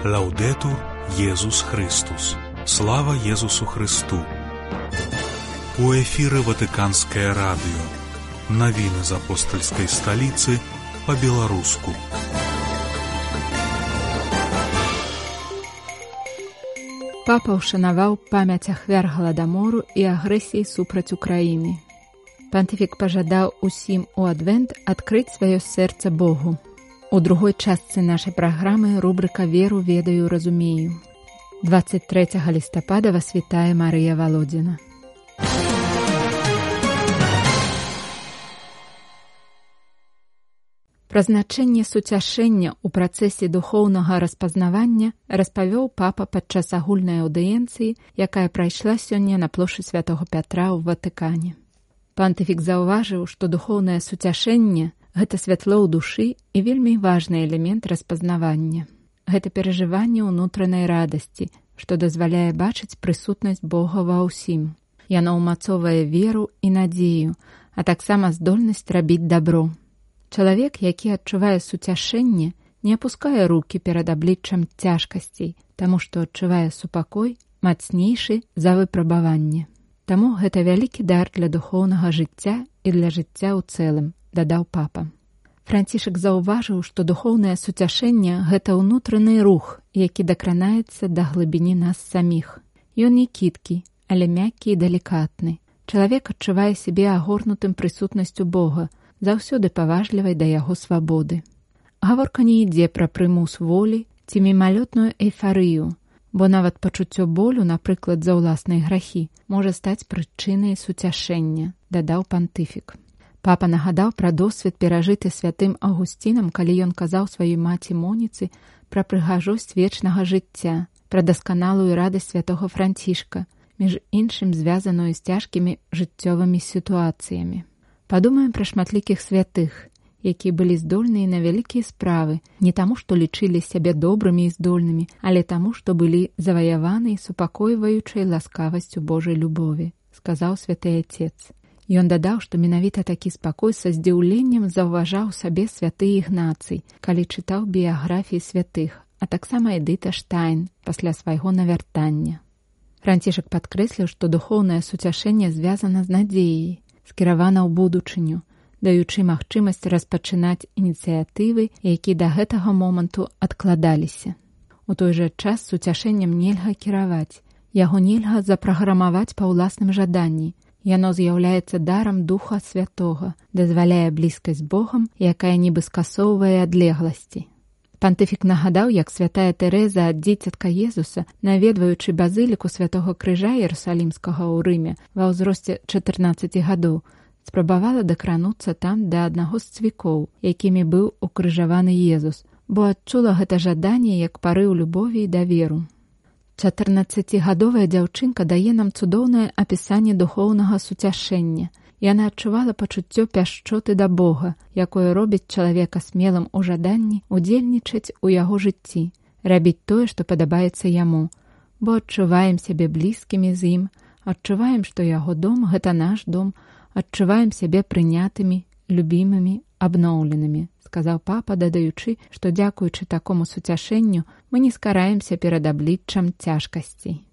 Лаўдетур Єсус Христос. Слава Єсусу Христу. У эфіры Ватыканскае радыё. Навіны з апостальскай сталіцы па-беларуску. Папа ўшанаваў памяць ахвяр галадамору і агрэсіі супраць Украіны. Пантыфік пажадаў усім у адвент адкрыць сваё сэрца Богу. У другой частцы нашай праграмы рубрыка «Веру, ведаю, разумею». 23 лістапада вас вітае Марыя Валодзіна. Пра значэнне суцяшэння ў працэсе духоўнага распазнавання распавёў папа падчас агульнай аўдыенцыі, якая прайшла сёння на плошчы Святога Пятра ў Ватыкане. Пантыфік заўважыў, што духоўнае суцяшэнне – гэта святло ў душы і вельмі важны элемент распазнавання. Гэта перажыванне ўнутранай радасці, што дазваляе бачыць прысутнасць Бога ва ўсім. Яно ўмацоўвае веру і надзею, а таксама здольнасць рабіць дабро. Чалавек, які адчувае суцяшэнне, не апускае рукі перад абліччам цяжкасцей, таму што адчувае супакой мацнейшы за выпрабаванне. Таму гэта вялікі дар для духоўнага жыцця і для жыцця ў цэлым, дадаў папа. Францішак заўважыў, што духоўнае суцяшэнне – гэта ўнутраны рух, які дакранаецца да глыбіні нас саміх. Ён не кідкі, але мяккі і далікатны. Чалавек адчувае сябе агорнутым прысутнасцю Бога, заўсёды паважлівай да яго свабоды. Гаворка не ідзе пра прымус волі ці мімалётную эйфарыю, бо нават пачуццё болю, напрыклад, за ўласныя грахі, можа стаць прычынай суцяшэння, дадаў пантыфік. Папа нагадаў пра досвед, перажыты святым Аўгусцінам, калі ён казаў сваёй маці Моніцы пра прыгажосць вечнага жыцця, пра дасканалую радасць святога Францішка, між іншым звязаную з цяжкімі жыццёвымі сітуацыямі. Падумаем пра шматлікіх святых, якія былі здольныя на вялікія справы, не таму, што лічылі сябе добрымі і здольнымі, але таму, што былі заваяваны супакойваючай ласкавасцю Божай любові, сказаў святы Отец. Ён дадаў, што менавіта такі спакой са здзіўленнем заўважаў сабе святы Ігнацый, калі чытаў біяграфіі святых, а таксама Эдыта Штайн пасля свайго навяртання. Францішак падкрэсліў, што духоўнае суцяшэнне звязана з надзеяй, скіравана ў будучыню, даючы магчымасць распачынаць ініцыятывы, якія да гэтага моманту адкладаліся. У той жа час суцяшэннем нельга кіраваць, яго нельга запраграмаваць па ўласным жаданні. Яно з'яўляецца дарам Духа Святога, дазваляе блізкасць з Богам, якая нібы скасоўвае адлегласці. Пантыфік нагадаў, як святая Тэрэза ад дзіцятка Езуса, наведваючы базыліку Святога Крыжа Іерусалімскага ў Рыме ва ўзросце 14 гадоў, спрабавала дакрануцца там да аднаго з цвікоў, якімі быў укрыжаваны Езус, бо адчула гэта жаданне як парыў любові і даверу. 14-гадовая дзяўчынка дае нам цудоўнае апісанне духоўнага суцяшэння. Яна адчувала пачуццё пяшчоты да Бога, якое робіць чалавека смелым у жаданні удзельнічаць у яго жыцці, рабіць тое, што падабаецца яму, бо адчуваем сябе блізкімі з ім, адчуваем, што яго дом – гэта наш дом, адчуваем сябе прынятымі, любімымі, абноўленымі, сказаў папа, дадаючы, што дзякуючы такому суцяшэнню мы не скараемся перад абліччам цяжкасцей.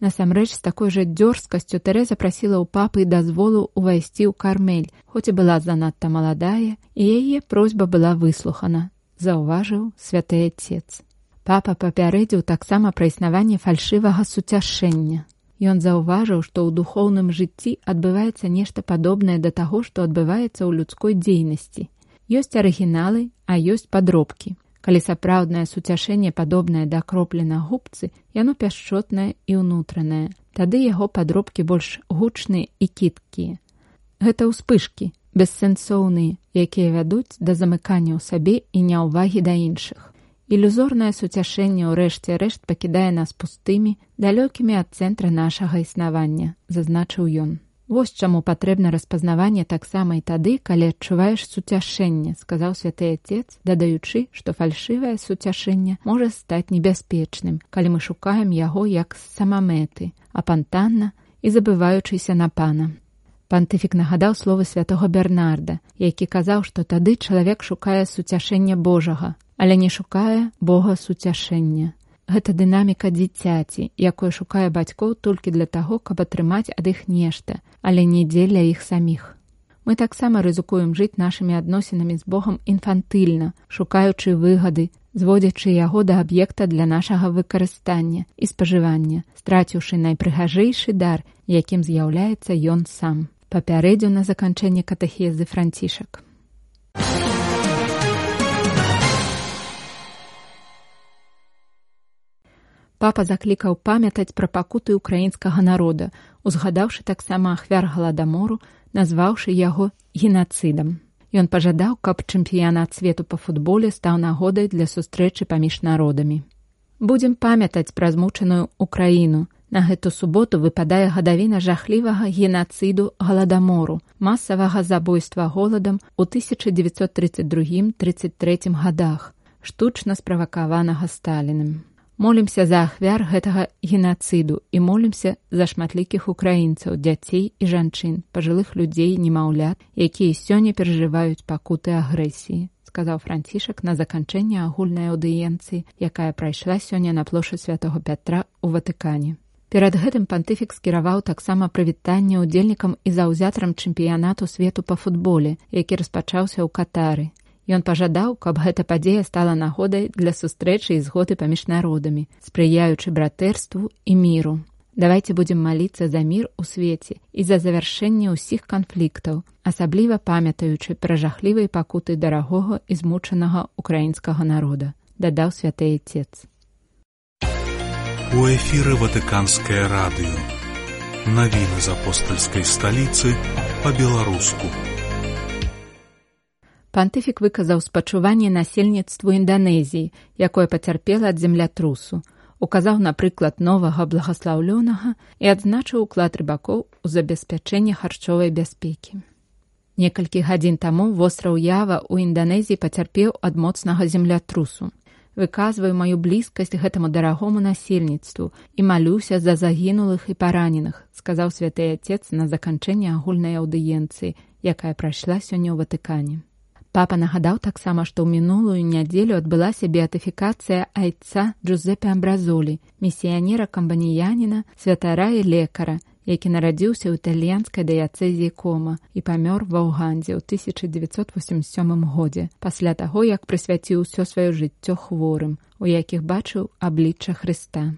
Насамрэч, з такой жа дзёрзкасцю Тэрэза прасіла ў папы дазволу ўвайсці ў Кармель, хоць і была занадта маладая, і яе просьба была выслухана, заўважыў святы Отец. Папа папярэдзіў таксама пра існаванне фальшывага суцяшэння. Ён заўважыў, што ў духоўным жыцці адбываецца нешта падобнае да таго, што адбываецца ў людской дзейнасці. Ёсць арыгіналы, а ёсць падробкі. Калі сапраўднае суцяшэнне падобнае да кроплі на губцы, яно пяшчотнае і ўнутранае. Тады яго падробкі больш гучныя і кідкія. Гэта ўспышкі, бессэнсоўныя, якія вядуць да замыкання ў сабе і няўвагі да іншых. Ілюзорнае суцяшэнне ў рэшце рэшт пакідае нас пустымі, далёкімі ад цэнтра нашага існавання, зазначыў ён. Вось чаму патрэбна распазнаванне таксама і тады, калі адчуваеш суцяшэнне, сказаў святы Отец, дадаючы, што фальшывае суцяшэнне можа стаць небяспечным, калі мы шукаем яго як самамэты, апантанна і забываючыся на Пана. Пантыфік нагадаў словы святога Бернарда, які казаў, што тады чалавек шукае суцяшэння Божага, але не шукае Бога суцяшэння. гэта дынаміка дзіцяці, якое шукае бацькоў толькі для таго, каб атрымаць ад іх нешта, але не дзеля іх саміх. Мы таксама рызыкуем жыць нашымі адносінамі з Богам інфантыльна, шукаючы выгады, зводзячы яго да аб'екта для нашага выкарыстання і спажывання, страціўшы найпрыгажэйшы дар, якім з'яўляецца ён сам. Папярэдзіў на заканчэнне катэхезы Францішак. Папа заклікаў памятаць пра пакуты ўкраінскага народа, узгадаўшы таксама ахвяр галадамору, назваўшы яго генацыдам. Ён пажадаў, каб чэмпіянат свету па футболе стаў нагодай для сустрэчы паміж народамі. Будзем памятаць пра змучаную Украіну. На гэту суботу выпадае гадавіна жахлівага генацыду галадамору, масавага забойства голадам у 1932-33 гадах, штучна справакаванага Сталіным. Молімся за ахвяр гэтага генацыду і молімся за шматлікіх украінцаў, дзяцей і жанчын, пажылых людзей, немаўлят, якія сёння перажываюць пакуты агрэсіі, сказаў Францішак на заканчэнне агульнай аўдыенцыі, якая прайшла сёння на плошчы Святога Пятра ў Ватыкане. Перад гэтым пантыфік скіраваў таксама прывітанне ўдзельнікам і заўзятарам чэмпіянату свету па футболе, які распачаўся ў Катары. Ён пажадаў, каб гэта падзея стала нагодай для сустрэчы і згоды паміж народамі, спрыяючы братэрству і міру. Давайце будзем маліцца за мір у свеце і за завяршэнне ўсіх канфліктаў, асабліва памятаючы пра жахлівыя пакуты дарагога і змучанага украінскага народа, дадаў святы Отец. У эфіры Ватыканскае радыё. Навіны з апостальскай сталіцы па-беларуску. Пантыфік выказаў спачуванне насельніцтву Інданезіі, якое пацярпела ад землятрусу, указаў на прыклад новага благаслаўлёнага і адзначыў уклад рыбакоў у забеспячэнне харчовай бяспекі. Некалькі гадзін таму востраў Ява ў Інданезіі пацярпеў ад моцнага землятрусу. Выказваю маю блізкасць гэтаму дарагому насельніцтву і малюся за загінулых і параненых, сказаў святы Отец на заканчэнне агульнай аўдыенцыі, якая прайшла сёння ў Ватыкане. Папа нагадаў таксама, што ў мінулую нядзелю адбылася беатыфікацыя айца Джузеппе Амбразолі, місіянера-камбаніяніна, святара і лекара, які нарадзіўся ў італьянскай дыяцэзіі Кома і памёр ва Ўгандзе ў 1987 годзе, пасля таго, як прысвяціў усё сваё жыццё хворым, у якіх бачыў аблічча Хрыста.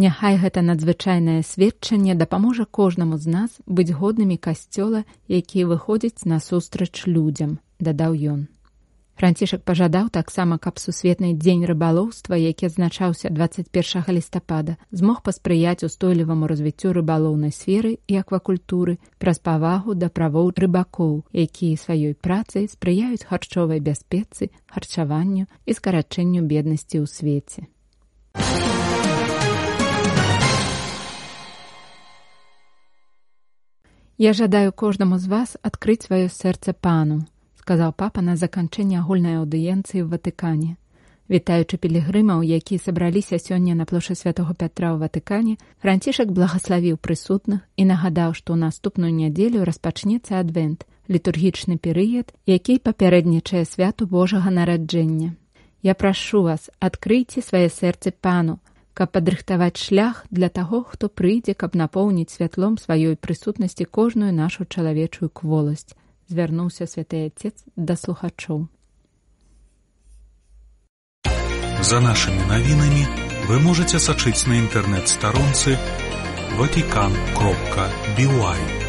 Няхай гэта надзвычайнае сведчанне дапаможа кожнаму з нас быць годнымі касцёла, які выходзіць насустрач людзям, дадаў ён. Францішак пажадаў таксама, каб сусветны дзень рыбалоўства, які адзначаўся 21 лістапада, змог паспрыяць устойліваму развіццю рыбалоўнай сферы і аквакультуры праз павагу да правоў рыбакоў, якія сваёй працай спрыяюць харчовай бяспецы, харчаванню і скарачэнню беднасці ў свеце. Я жадаю кожнаму з вас адкрыць сваё сэрца Пану, сказаў папа на заканчэнне агульнай аўдыенцыі ў Ватыкане. Вітаючы пілігрымаў, якія сабраліся сёння на плошчы Святога Пятра ў Ватыкане, Францішак благаславіў прысутных і нагадаў, што ў наступную нядзелю распачнецца адвент, літургічны перыяд, які папярэднічае святу Божага нараджэння. Я прашу вас, адкрыйце свае сэрцы Пану, каб падрыхтаваць шлях для таго, хто прыйдзе, каб напоўніць святлом сваёй прысутнасці кожную нашу чалавечую кволасць, звярнуўся святы Отец да слухачоў. За нашымі навінамі вы можаце сачыць на інтэрнэт-старонцы vatican.by.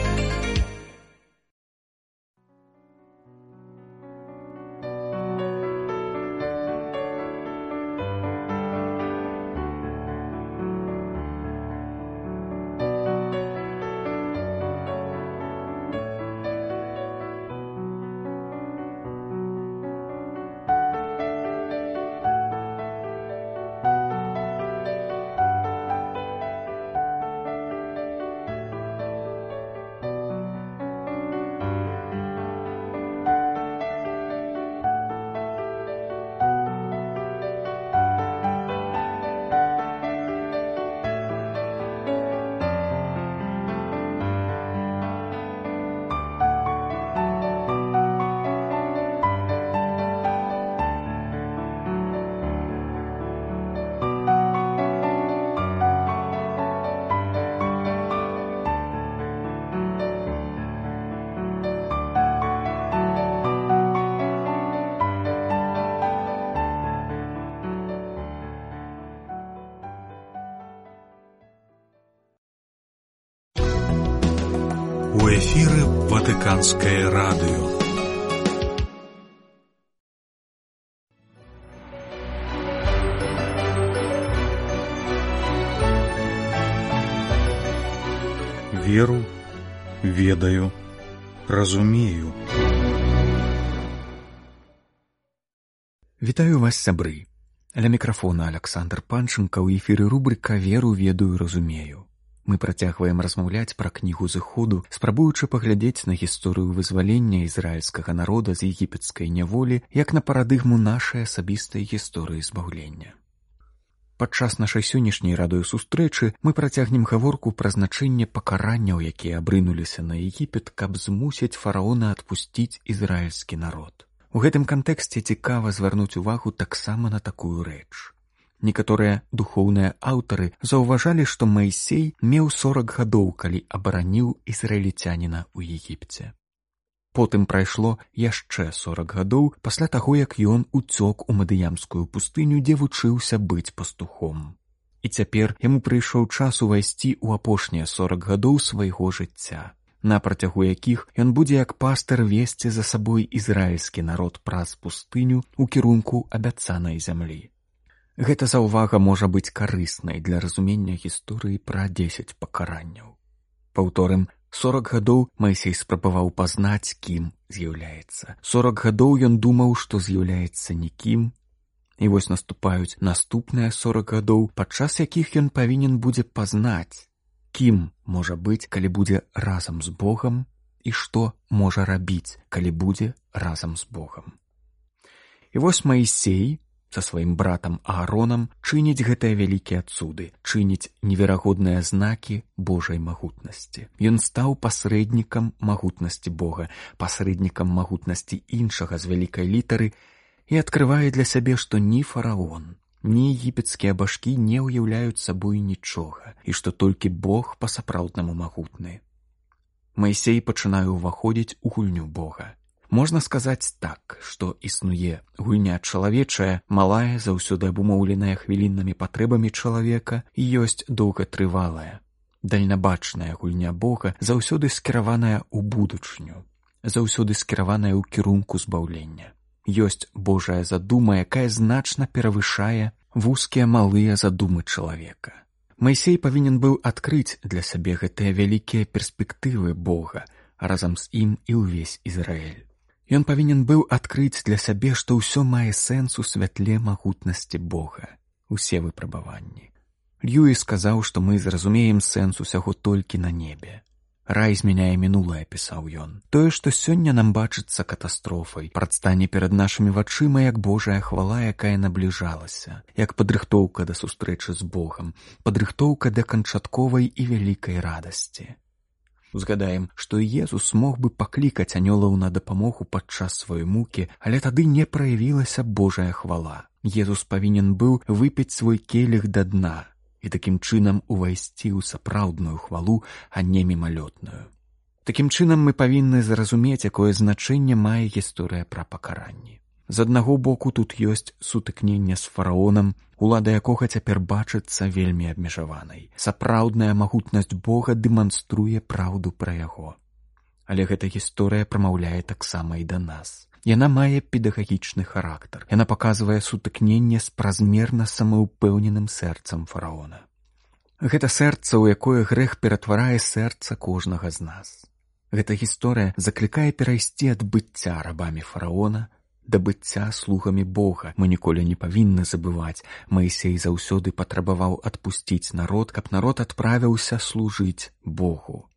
Ватыканскае радыё. Веру, ведаю, разумею. Вітаю вас, сябры. Ля мікрафона Аляксандр Панчынка, ў эфіры рубрыка «Веру, ведаю, разумею». Мы працягваем размаўляць пра кнігу зыходу, спрабуючы паглядзець на гісторыю вызвалення ізраільскага народа з егіпецкай няволі як на парадыгму нашай асабістай гісторыі збаўлення. Падчас нашай сённяшняй радыёсустрэчы мы працягнем гаворку пра значэнне пакаранняў, якія абрынуліся на Егіпет, каб змусіць фараона адпусціць ізраільскі народ. У гэтым кантэксце цікава звярнуць увагу таксама на такую рэч. Некаторыя духоўныя аўтары заўважалі, што Маісей меў 40 гадоў, калі абараніў ізраільцяніна ў Егіпце. Потым прайшло яшчэ 40 гадоў пасля таго, як ён уцёк у Мадыямскую пустыню, дзе вучыўся быць пастухом. І цяпер яму прыйшоў час увайсці ў апошнія 40 гадоў свайго жыцця, на працягу якіх ён будзе як пастыр весці за сабой ізраільскі народ праз пустыню ў кірунку абяцанай зямлі. Гэта заўвага можа быць карыснай для разумення гісторыі пра 10 пакаранняў. Паўторым, 40 гадоў Маісей спрабаваў пазнаць, кім з'яўляецца. 40 гадоў ён думаў, што з'яўляецца нікім. І вось наступаюць наступныя 40 гадоў, падчас якіх ён павінен будзе пазнаць, кім можа быць, калі будзе разам з Богам, і што можа рабіць, калі будзе разам з Богам. І вось Маісей са сваім братам Ааронам чыніць гэтыя вялікія цуды, чыніць неверагодныя знакі Божай магутнасці. Ён стаў пасрэднікам магутнасці Бога, пасрэднікам магутнасці іншага з вялікай літары і адкрывае для сябе, што ні фараон, ні егіпецкія башкі не ўяўляюць сабой нічога, і што толькі Бог па-сапраўднаму магутны. Маісей пачынае ўваходзіць у гульню Бога. Можна сказаць так, што існуе гульня чалавечая, малая, заўсёды абумоўленая хвіліннымі патрэбамі чалавека, і ёсць доўгатрывалая, дальнабачная гульня Бога, заўсёды скіраваная ў будучыню, заўсёды скіраваная ў кірунку збаўлення. Ёсць Божая задума, якая значна перавышае вузкія малыя задумы чалавека. Маісей павінен быў адкрыць для сябе гэтыя вялікія перспектывы Бога, а разам з ім і ўвесь Ізраіль. Ён павінен быў адкрыць для сябе, што ўсё мае сэнс у святле магутнасці Бога, усе выпрабаванні. Льюіс сказаў, што мы зразумеем сэнс усяго толькі на небе. Рай змяняе мінулае, пісаў ён. Тое, што сёння нам бачыцца катастрофай, прадстане перад нашымі вачыма як Божая хвала, якая набліжалася, як падрыхтоўка да сустрэчы з Богам, падрыхтоўка да канчатковай і вялікай радасці. Узгадаем, што Езус мог бы паклікаць анёлаў на дапамогу падчас сваёй мукі, але тады не праявілася Божая хвала. Езус павінен быў выпіць свой келіх да дна і такім чынам увайсці ў сапраўдную хвалу, а не мімалётную. Такім чынам мы павінны зразумець, якое значэнне мае гісторыя пра пакаранні. З аднаго боку тут ёсць сутыкненне з фараонам, улада якога цяпер бачыцца вельмі абмежаванай. Сапраўдная магутнасць Бога дэманструе праўду пра яго. Але гэта гісторыя прамаўляе таксама і да нас. Яна мае педагагічны характар. Яна паказвае сутыкненне з празмерна самаўпэўненым сэрцам фараона. Гэта сэрца, у якое грэх ператварае сэрца кожнага з нас. Гэта гісторыя заклікае перайсці ад быцця рабамі фараона да быцця слугамі Бога. Мы ніколі не павінны забываць, Маісей заўсёды патрабаваў адпусціць народ, каб народ адправіўся служыць Богу.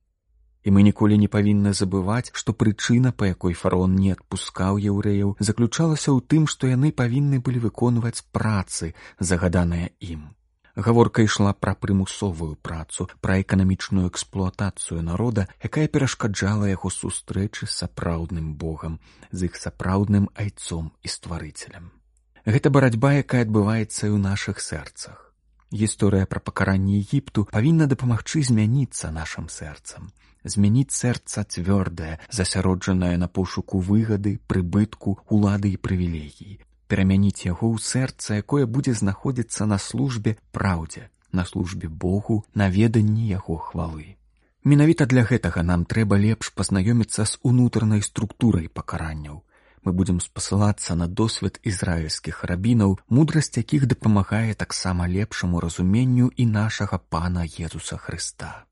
І мы ніколі не павінны забываць, што прычына, па якой фараон не адпускаў яўрэяў, заключалася ў тым, што яны павінны былі выконваць працы, загаданыя ім. Гаворка ішла пра прымусовую працу, пра эканамічную эксплуатацыю народа, якая перашкаджала яго сустрэчы з сапраўдным Богам, з іх сапраўдным айцом і стварыцелем. Гэта барацьба, якая адбываецца і ў нашых сэрцах. Гісторыя пра пакаранне Егіпту павінна дапамагчы змяніцца нашым сэрцам. Змяніць сэрца цвёрдае, засяроджанае на пошуку выгады, прыбытку, улады і прывілегій. Перамяніць яго ў сэрца, якое будзе знаходзіцца на службе праўдзе, на службе Богу, на веданні яго хвалы. Менавіта для гэтага нам трэба лепш пазнаёміцца з унутранай структурай пакаранняў. Мы будзем спасылацца на досвед ізраільскіх рабінаў, мудрасць якіх дапамагае таксама лепшаму разуменню і нашага Пана Езуса Хрыста.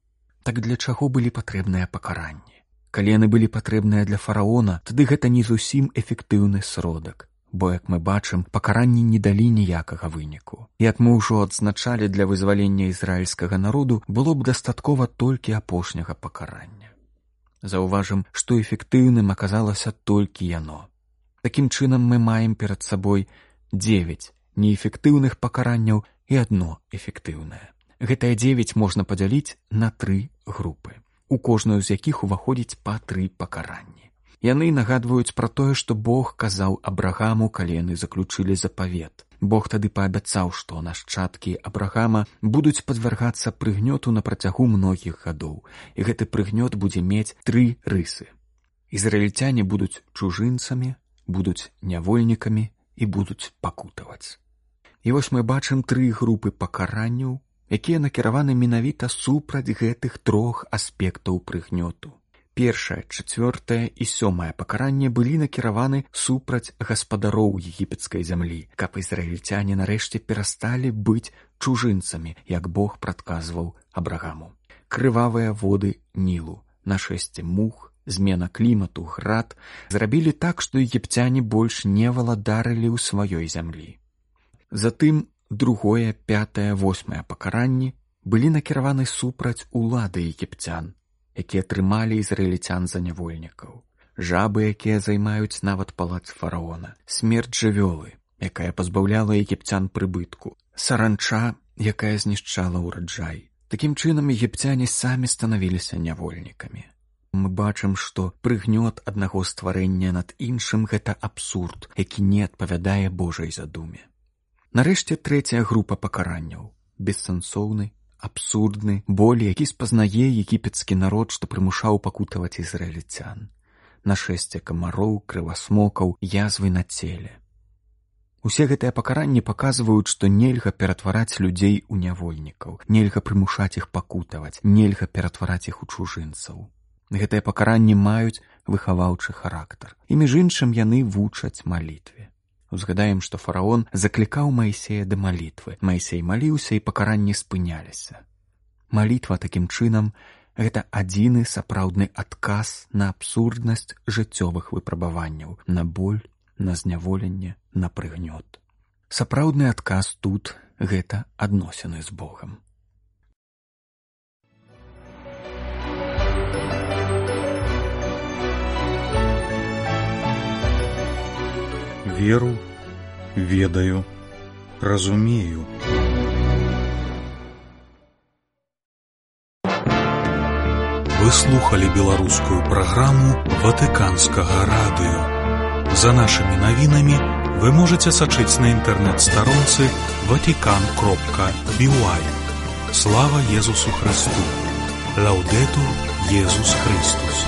Так для чаго былі патрэбныя пакаранні? Калі яны былі патрэбныя для фараона, тады гэта не зусім эфектыўны сродак, бо, як мы бачым, пакаранні не далі ніякага выніку. Як мы ўжо адзначалі, для вызвалення ізраільскага народу было б дастаткова толькі апошняга пакарання. Заўважым, што эфектыўным аказалася толькі яно. Такім чынам мы маем перад сабой 9 неэфектыўных пакаранняў і 1 эфектыўнае. Гэтыя 9 можна падзяліць на 3 групы, у кожную з якіх уваходзіць па 3 пакаранні. Яны нагадваюць пра тое, што Бог казаў Абрагаму, калі яны заключылі запавет. Бог тады паабяцаў, што нашчадкі Абрагама будуць падвяргацца прыгнёту на працягу многіх гадоў, і гэты прыгнёт будзе мець 3 рысы. Ізраільцяне будуць чужынцамі, будуць нявольнікамі і будуць пакутаваць. І вось мы бачым 3 групы пакаранняў, якія накіраваны менавіта супраць гэтых 3 аспектаў прыгнёту. Першае, 4 і 7 пакаранне былі накіраваны супраць гаспадароў егіпецкай зямлі, каб ізраільцяне нарэшце перасталі быць чужынцамі, як Бог прадказваў Абрагаму. Крывавыя воды Нілу, нашэсце мух, змена клімату, град зрабілі так, што егіпцяне больш не валадарылі ў сваёй зямлі. Затым 2, 5, 8 пакаранні былі накіраваны супраць улады егіпцян, якія трымалі ізраільцян за нявольнікаў, жабы, якія займаюць нават палац фараона, смерць жывёлы, якая пазбаўляла егіпцян прыбытку, саранча, якая знішчала ўраджай. Такім чынам егіпцяне самі станавіліся нявольнікамі. Мы бачым, што прыгнёт аднаго стварэння над іншым — гэта абсурд, які не адпавядае Божай задуме. Нарэшце 3 група пакаранняў — бессэнсоўны, абсурдны боль, які спазнае егіпецкі народ, што прымушаў пакутаваць ізраільцян. Нашэсце камароў, крывасмокаў, язвы на целе. Усе гэтыя пакаранні паказваюць, што нельга ператвараць людзей у нявольнікаў, нельга прымушаць іх пакутаваць, нельга ператвараць іх у чужынцаў. Гэтыя пакаранні маюць выхаваўчы характар. І між іншым яны вучаць малітве. Узгадаем, што фараон заклікаў Маісея да малітвы. Маісей маліўся, і пакаранні спыняліся. Малітва такім чынам — гэта адзіны сапраўдны адказ на абсурднасць жыццёвых выпрабаванняў, на боль, на зняволенне, на прыгнёт. Сапраўдны адказ тут — гэта адносіны з Богам. Веру, ведаю, разумею. Вы слухали беларускую праграму Ватыканскага радыё. За нашымі навінамі вы можаце сачыць на інтэрнэт-старонцы vatican.by. Слава Езусу Христу! Лаўдэтур Езус Христус!